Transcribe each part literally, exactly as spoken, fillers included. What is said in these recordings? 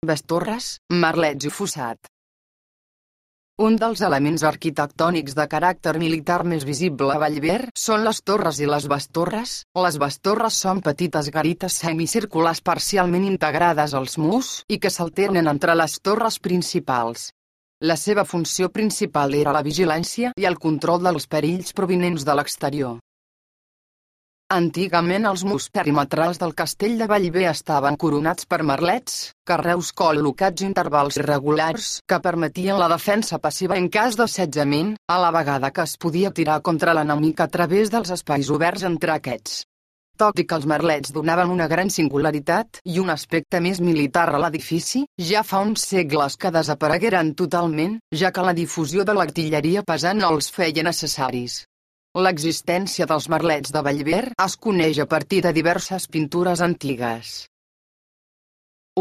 Baix torres, merlets i fossat. Un dels elements arquitectònics de caràcter militar més visible a Vallver són les torres i les bastorres. Les bastorres són petites garites semicirculars parcialment integrades als murs i que s'alternen entre les torres principals. La seva funció principal era la vigilància i el control dels perills provinents de l'exterior. Antigament els murs perimetrals del castell de Vallver estaven coronats per merlets, carreus col·locats a intervals irregulars que permetien la defensa passiva en cas d'assetjament, a la vegada que es podia tirar contra l'enemic a través dels espais oberts entre aquests. Tot i que els merlets donaven una gran singularitat i un aspecte més militar a l'edifici, ja fa uns segles que desaparegueren totalment, ja que la difusió de l'artilleria pesant no els feia necessaris. L'existència dels merlets de Vallver es coneix a partir de diverses pintures antigues.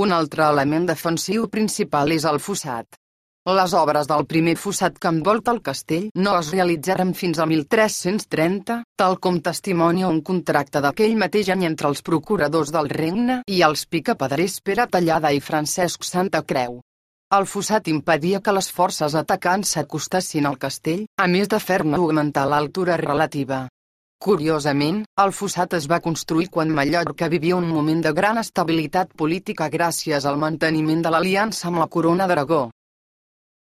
Un altre element defensiu principal és el fossat. Les obres del primer fossat que envolta el castell no es realitzaren fins a mil tres-cents trenta, tal com testimonia un contracte d'aquell mateix any entre els procuradors del regne i els picapedrers Pere Tallada i Francesc Santacreu. El fossat impedia que les forces atacants s'acostessin al castell, a més de fer-ne augmentar l'altura relativa. Curiosament, el fossat es va construir quan Mallorca vivia un moment de gran estabilitat política gràcies al manteniment de l'aliança amb la Corona d'Aragó.